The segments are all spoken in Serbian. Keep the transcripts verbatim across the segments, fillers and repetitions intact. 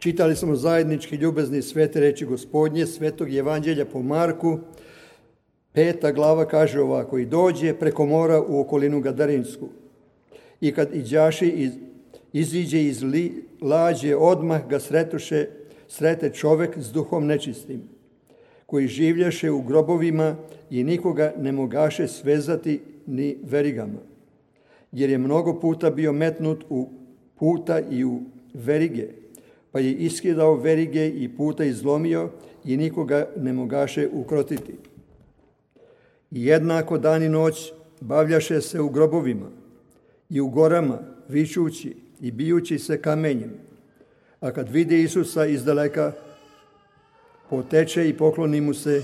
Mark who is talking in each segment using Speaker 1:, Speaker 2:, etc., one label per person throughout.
Speaker 1: Čitali smo zajednički ljubezni svete reči Gospodnje, svetog evanđelja po Marku. Peta glava kaže ovako: i dođe preko mora u okolinu Gadarinsku. I kad iđaši iz, iziđe iz li, lađe, odmah ga sretuše, srete čovek s duhom nečistim, koji življaše u grobovima i nikoga ne mogaše svezati ni verigama, jer je mnogo puta bio metnut u puta i u verige, pa je iskidao verige i puta izlomio i nikoga ne mogaše ukrotiti. I jednako dan i noć bavljaše se u grobovima i u gorama, vičući i bijući se kamenjem. A kad vide Isusa izdaleka, poteče i pokloni mu se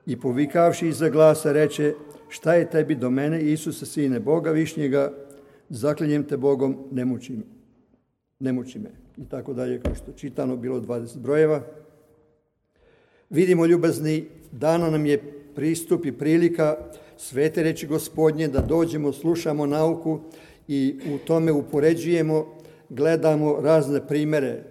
Speaker 1: i povikavši iza glasa reče: šta je tebi do mene, Isuse, sine Boga višnjega, zaklinjem te Bogom, ne muči, ne muči me. I tako dalje, kao što čitano bilo dvadeset brojeva. Vidimo, ljubazni, dana nam je pristup i prilika svete reči Gospodnje da dođemo, slušamo nauku i u tome upoređujemo, gledamo razne primere.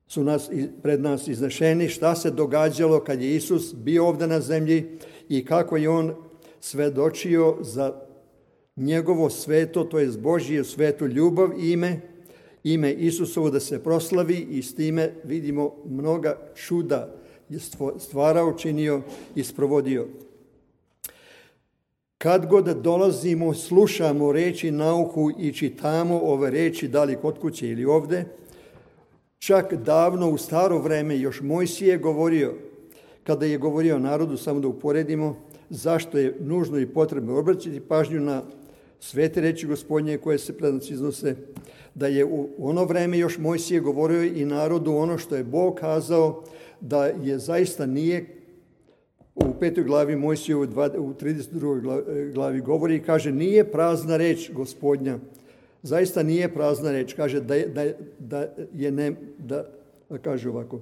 Speaker 1: Su nas, pred nas iznešeni šta se događalo kad je Isus bio ovdje na zemlji i kako je on svedočio za njegovo sveto, to je Božje svetu ljubav, ime, ime Isusovo da se proslavi, i s time vidimo mnoga čuda je stvarao, činio i sprovodio. Kad god dolazimo, slušamo reči, nauku i čitamo ove reči, da li kod kuće ili ovdje, čak davno u staro vreme još Mojsije je govorio, kada je govorio narodu, samo da uporedimo, zašto je nužno i potrebno obraćati pažnju na svete reči Gospodnje koje se pred nas iznose, da je u ono vreme još Mojsije govorio i narodu ono što je Bog kazao, da je zaista nije. U petoj glavi Mojsije u trideset drugoj glavi govori i kaže: nije prazna reč Gospodnja, zaista nije prazna reč, kaže da je, da, da je ne, da, da kaže ovako,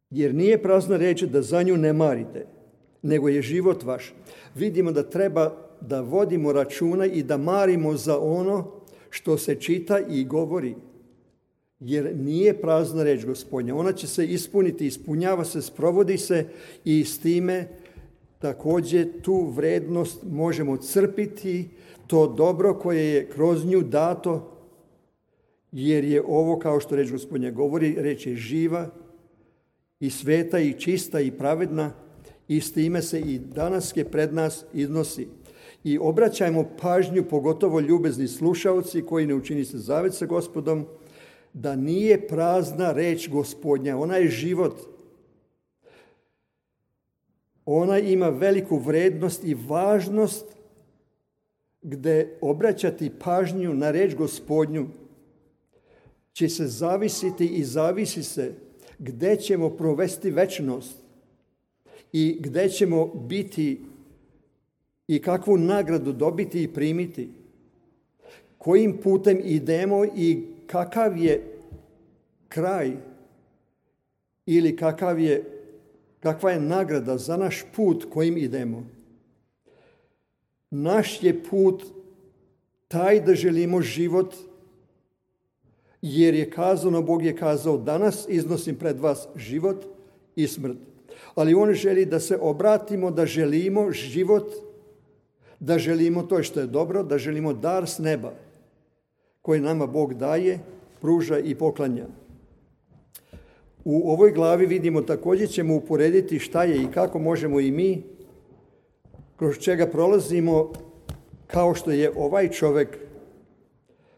Speaker 1: jer nije prazna reč da za nju ne marite, nego je život vaš. Vidimo da treba da vodimo računa i da marimo za ono što se čita i govori, jer nije prazna reč Gospodnja. Ona će se ispuniti, ispunjava se, sprovodi se, i s time također tu vrednost možemo crpiti, to dobro koje je kroz nju dato, jer je ovo, kao što reč Gospodnja govori, reč je živa i sveta i čista i pravedna, i s time se i danas je pred nas iznosi. I obraćajmo pažnju, pogotovo ljubezni slušalci koji ne učini se zavet sa Gospodom, da nije prazna reč Gospodnja, ona je život. Ona ima veliku vrednost i važnost, gdje obraćati pažnju na reč Gospodnju će se zavisiti i zavisi se gdje ćemo provesti večnost i gdje ćemo biti i kakvu nagradu dobiti i primiti. Kojim putem idemo i kakav je kraj ili kakav je, kakva je nagrada za naš put kojim idemo. Naš je put taj da želimo život, jer je kazano, Bog je kazao: danas iznosim pred vas život i smrt. Ali on želi da se obratimo, da želimo život, da želimo to što je dobro, da želimo dar s neba koji nama Bog daje, pruža i poklanja. U ovoj glavi vidimo, također ćemo uporediti šta je i kako možemo i mi, kroz čega prolazimo, kao što je ovaj čovjek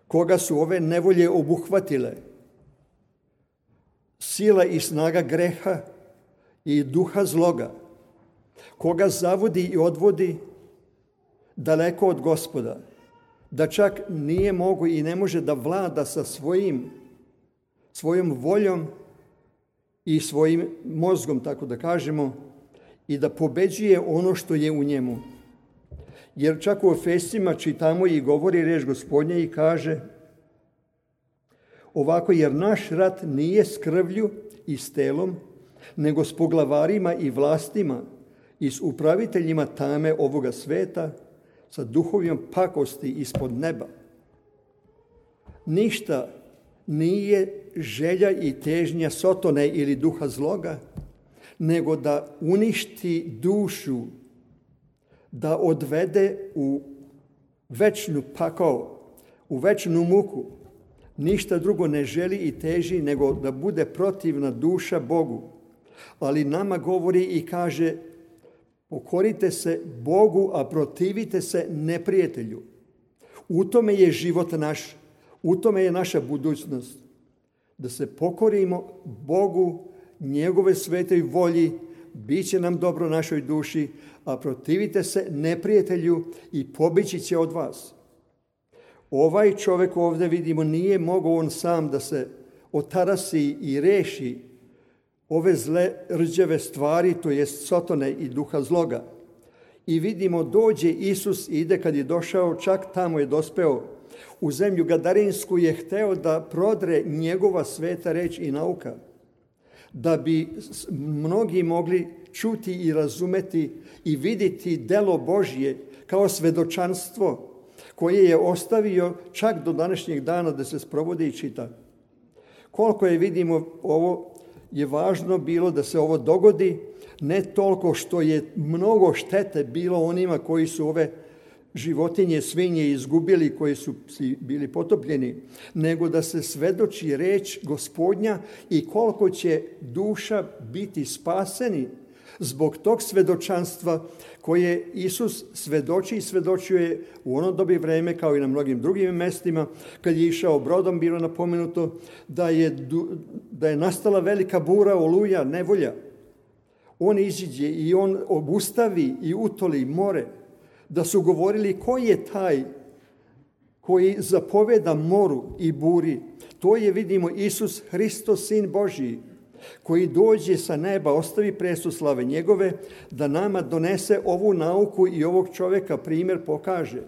Speaker 1: koga su ove nevolje obuhvatile, sila i snaga greha i duha zloga, koga zavodi i odvodi daleko od Gospoda, da čak nije mogu i ne može da vlada sa svojim, svojom voljom i svojim mozgom, tako da kažemo, i da pobeđuje ono što je u njemu. Jer čak u Efesima čitamo i govori reč Gospodnja i kaže ovako: jer naš rat nije s krvlju i s telom, nego s poglavarima i vlastima i s upraviteljima tame ovoga sveta, sa duhovima pakosti ispod neba. ništa nije želja i težnja Sotone ili duha zloga, nego da uništi dušu, da odvede u večnu pakao, u večnu muku. Ništa drugo ne želi i teži nego da bude protivna duša Bogu. Ali nama govori i kaže, pokorite se Bogu, a protivite se neprijatelju. U tome je život naš, u tome je naša budućnost. Da se pokorimo Bogu, njegove svetoj volji, bit će nam dobro našoj duši, a protivite se neprijatelju i pobići će od vas. Ovaj čovjek ovdje vidimo nije mogao on sam da se otarasi i reši ove zle rđave stvari, to jest Sotone i duha zloga. I vidimo dođe Isus, ide kad je došao, čak tamo je dospeo u zemlju Gadarinsku, je hteo da prodre njegova sveta reč i nauka, da bi mnogi mogli čuti i razumeti i vidjeti delo Božje kao svedočanstvo koje je ostavio čak do današnjeg dana da se sprovodi i čita. Koliko je, vidimo, ovo je važno bilo da se ovo dogodi, ne toliko što je mnogo štete bilo onima koji su ove životinje, svinje izgubili, koji su bili potopljeni, nego da se svedoči reč Gospodnja i koliko će duša biti spaseni zbog tog svedočanstva koje Isus svedoči i svedočuje u ono dobi vreme kao i na mnogim drugim mestima. Kad je išao brodom, bilo napomenuto da je, da je nastala velika bura, oluja, nevolja. On iziđe i on obustavi i utoli more, da su govorili ko je taj koji zapoveda moru i buri. To je, vidimo, Isus Hristos, Sin Božji, koji dođe sa neba, ostavi presu slave njegove, da nama donese ovu nauku i ovog čovjeka primjer pokaže.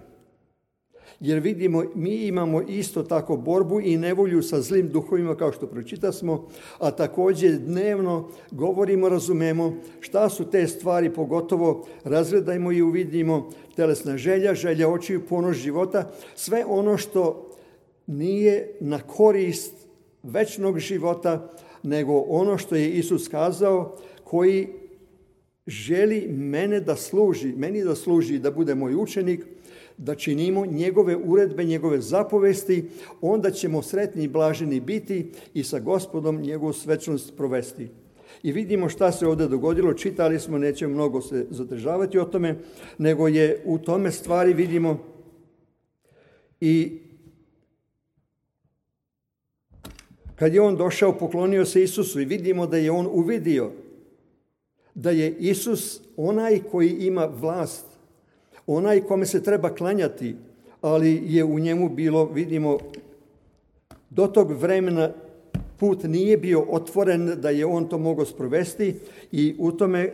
Speaker 1: Jer vidimo, mi imamo isto tako borbu i nevolju sa zlim duhovima, kao što pročitasmo, a također dnevno govorimo, razumemo šta su te stvari, pogotovo razgledajmo i uvidimo telesna želja, želja očiju, ponos života, sve ono što nije na korist večnog života, nego ono što je Isus kazao, koji želi mene da služi, meni da služi, da bude moj učenik, da činimo njegove uredbe, njegove zapovesti, onda ćemo sretni i blaženi biti i sa Gospodom njegovu svečnost provesti. I vidimo šta se ovdje dogodilo, čitali smo, nećemo mnogo se zadržavati o tome, nego je u tome stvari, vidimo, i kad je on došao, poklonio se Isusu i vidimo da je on uvidio da je Isus onaj koji ima vlast, onaj kome se treba klanjati, ali je u njemu bilo, vidimo, do tog vremena put nije bio otvoren da je on to mogao sprovesti i u tome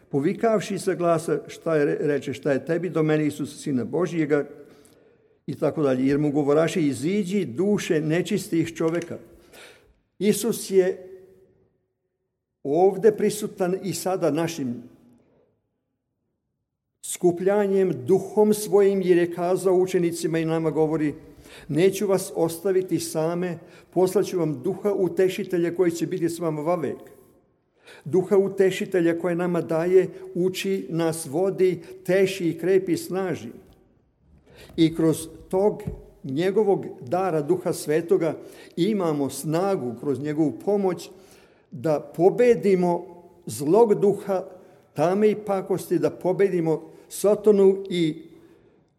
Speaker 1: povikavši sa glasa šta je, reče, šta je tebi do mene, Isus, Sina Božjega, i tako dalje. Jer mu govoraše, iziđi duše nečistih čovjeka. Isus je ovdje prisutan i sada našim skupljanjem, duhom svojim, jer je kazao učenicima i nama govori, neću vas ostaviti same, poslaću vam duha utešitelja koji će biti s vama vavek. Duha utešitelja koje nama daje, uči nas, vodi, teši i krepi, snaži. I kroz tog njegovog dara Duha Svetoga imamo snagu kroz njegovu pomoć da pobedimo zlog duha, tame i pakosti, da pobedimo Sotonu i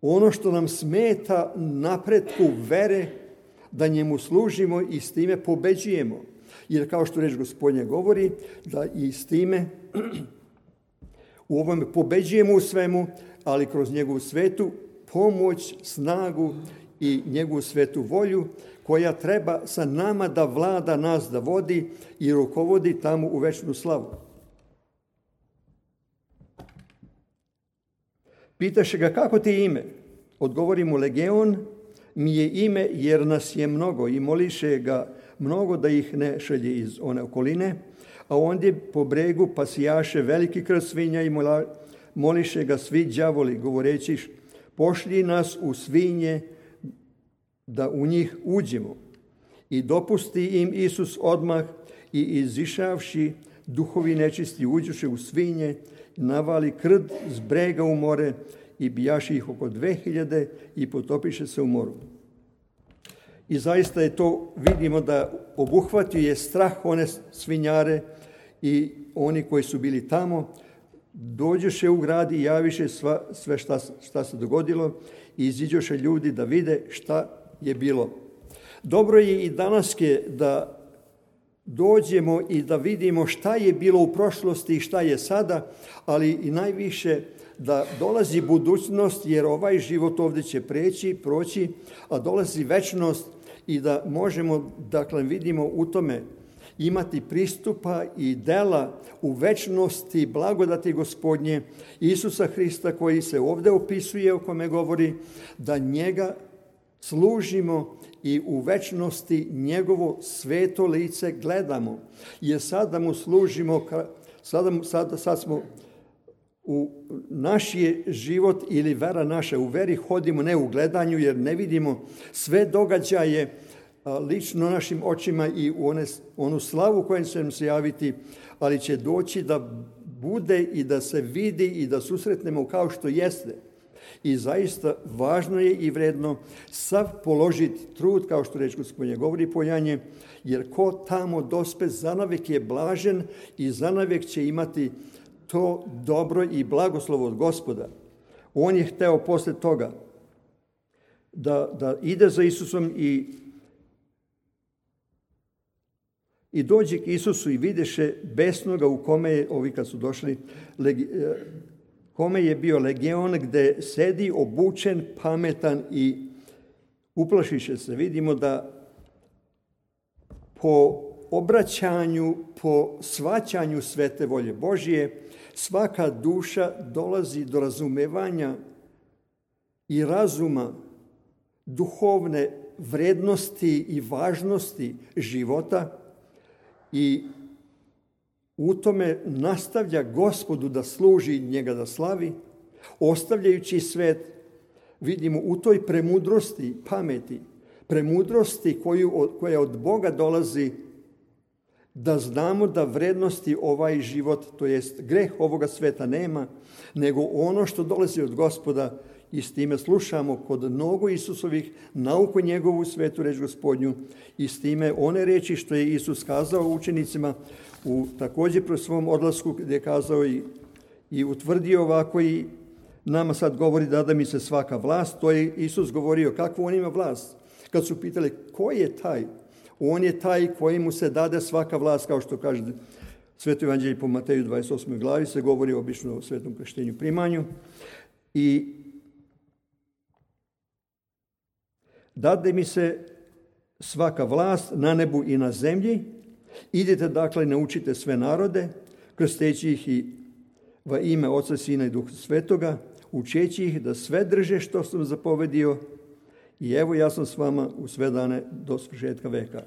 Speaker 1: ono što nam smeta napretku vere, da njemu služimo i s time pobeđujemo. Jer kao što reč Gospodnja govori, da i s time u ovome pobeđujemo u svemu, ali kroz njegovu svetu pomoć, snagu i njegovu svetu volju, koja treba sa nama da vlada, nas da vodi i rukovodi tamo u večnu slavu. Pitaše ga, kako ti je ime? Odgovori mu, Legeon mi je ime jer nas je mnogo, i moliše ga mnogo da ih ne šalje iz one okoline, a ondje po bregu pasijaše veliki krst svinja i moliše ga svi đavoli, govoreći, pošlji nas u svinje da u njih uđemo. I dopusti im Isus odmah i izišavši duhovi nečisti uđuše u svinje, navali krd s brega u more i bijaši ih oko dve hiljade i potopiše se u moru. I zaista je to, vidimo da obuhvatio je strah one svinjare i oni koji su bili tamo, dođoše u grad i javiše sva, sve šta, šta se dogodilo i iziđoše ljudi da vide šta je bilo. Dobro je i danas da dođemo i da vidimo šta je bilo u prošlosti i šta je sada, ali i najviše da dolazi budućnost, jer ovaj život ovdje će preći, proći, a dolazi večnost i da možemo, dakle, vidimo u tome imati pristupa i dela u večnosti blagodati Gospodnje Isusa Hrista koji se ovdje opisuje, o kome govori, da njega služimo i u večnosti njegovo sveto lice gledamo. Jer sada mu služimo, sada, sada, sad smo u naš je život ili vera naša, u veri hodimo ne u gledanju jer ne vidimo sve događaje lično našim očima i u one, onu slavu kojem će nam se javiti, ali će doći da bude i da se vidi i da susretnemo kao što jeste. I zaista važno je i vredno sav položiti trud, kao što reč Gospodnje govori pojanje, jer ko tamo dospe zanavek je blažen i zanavek će imati to dobro i blagoslovo od Gospoda. On je hteo posle toga da, da ide za Isusom i I dođe k Isusu i videše besnoga u kome je, ovi kad su došli, legi, kome je bio legion, gde sedi obučen, pametan i uplašiše se. Vidimo da po obraćanju, po shvaćanju svete volje Božije, svaka duša dolazi do razumevanja i razuma duhovne vrednosti i važnosti života, i u tome nastavlja Gospodu da služi, njega da slavi, ostavljajući svet, vidimo u toj premudrosti, pameti, premudrosti koju, koja od Boga dolazi, da znamo da vrednosti ovaj život, to jest greh ovoga sveta nema, nego ono što dolazi od Gospoda, i s time slušamo kod nogu Isusovih nauku njegovu svetu reč Gospodnju i s time one reči što je Isus kazao učenicima u također pro svom odlasku gdje je kazao i, i utvrdio ovako i nama sad govori da da mi se svaka vlast. To je Isus govorio kakvu on ima vlast. Kad su pitali ko je taj? On je taj koji mu se dade svaka vlast, kao što kaže Sveto evanđelje po Mateju dvadeset osmoj glavi se govori obično o svetom krštenju primanju. I dade mi se svaka vlast na nebu i na zemlji. Idite dakle, naučite sve narode, krsteći ih i va ime Oca, Sina i Duha Svetoga, učeći ih da sve drže što sam zapovedio i evo ja sam s vama u sve dane do svršetka veka.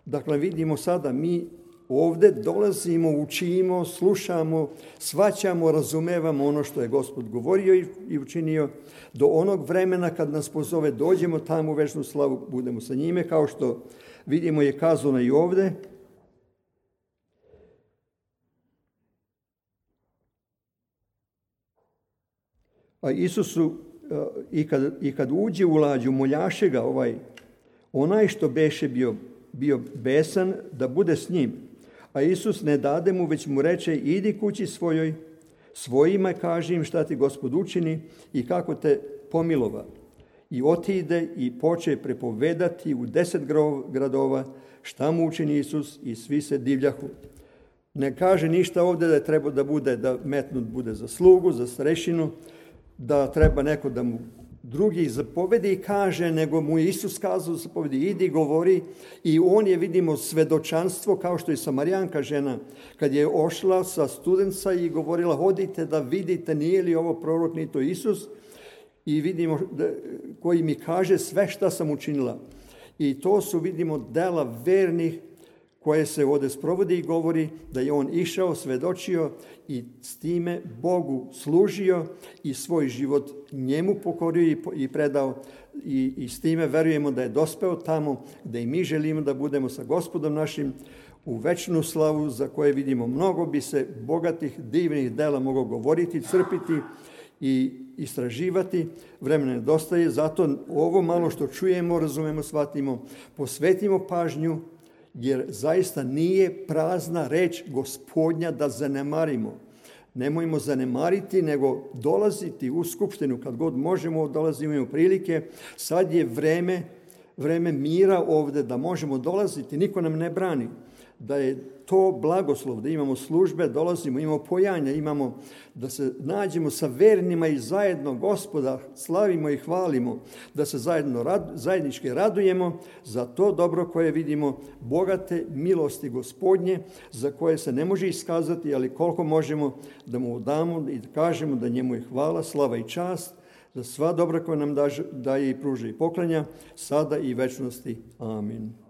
Speaker 1: Dakle, vidimo sada mi ovdje dolazimo, učimo, slušamo, shvaćamo, razumevamo ono što je Gospod govorio i učinio. Do onog vremena kad nas pozove, dođemo tamo u večnu slavu, budemo sa njime, kao što vidimo je kazano i ovdje. A Isusu, i kad, i kad uđe u lađu, moljaše ga ovaj, onaj što beše bio, bio besan, da bude s njim. A Isus ne dade mu, već mu reče, idi kući svojoj, svojima kaži im šta ti Gospod učini i kako te pomilova. I otide i poče prepovedati u deset gradova šta mu učini Isus i svi se divljahu. Ne kaže ništa ovdje da je treba da bude, da metnut bude za slugu, za starešinu, da treba neko da mu drugi zapovedi i kaže, nego mu je Isus kazao zapovedi, idi, govori, i on je, vidimo, svedočanstvo, kao što je Samarijanka žena, kad je ošla sa studenca i govorila, hodite da vidite, nije li ovo prorok, ni to Isus, i vidimo da, koji mi kaže sve šta sam učinila. I to su, vidimo, dela vernih koje se ovdje sprovodi i govori da je on išao, svedočio i s time Bogu služio i svoj život njemu pokorio i predao i, i s time verujemo da je dospeo tamo gde i mi želimo da budemo sa Gospodom našim u večnu slavu, za koje vidimo mnogo bi se bogatih, divnih dela moglo govoriti, crpiti i istraživati. Vremena nedostaje, zato ovo malo što čujemo, razumemo, shvatimo, posvetimo pažnju, jer zaista nije prazna reč Gospodnja da zanemarimo. Nemojmo zanemariti, nego dolaziti u skupštinu kad god možemo, dolazimo u prilike. Sad je vreme, vreme mira ovde da možemo dolaziti, niko nam ne brani. Da je to blagoslov, da imamo službe, dolazimo, imamo pojanja, imamo da se nađemo sa vernima i zajedno Gospoda slavimo i hvalimo, da se zajedno rad, zajednički radujemo za to dobro koje vidimo, bogate milosti Gospodnje, za koje se ne može iskazati, ali koliko možemo da mu damo i da kažemo da njemu je hvala, slava i čast, za sva dobra koja nam daje i pruža i poklanja, sada i večnosti. Amin.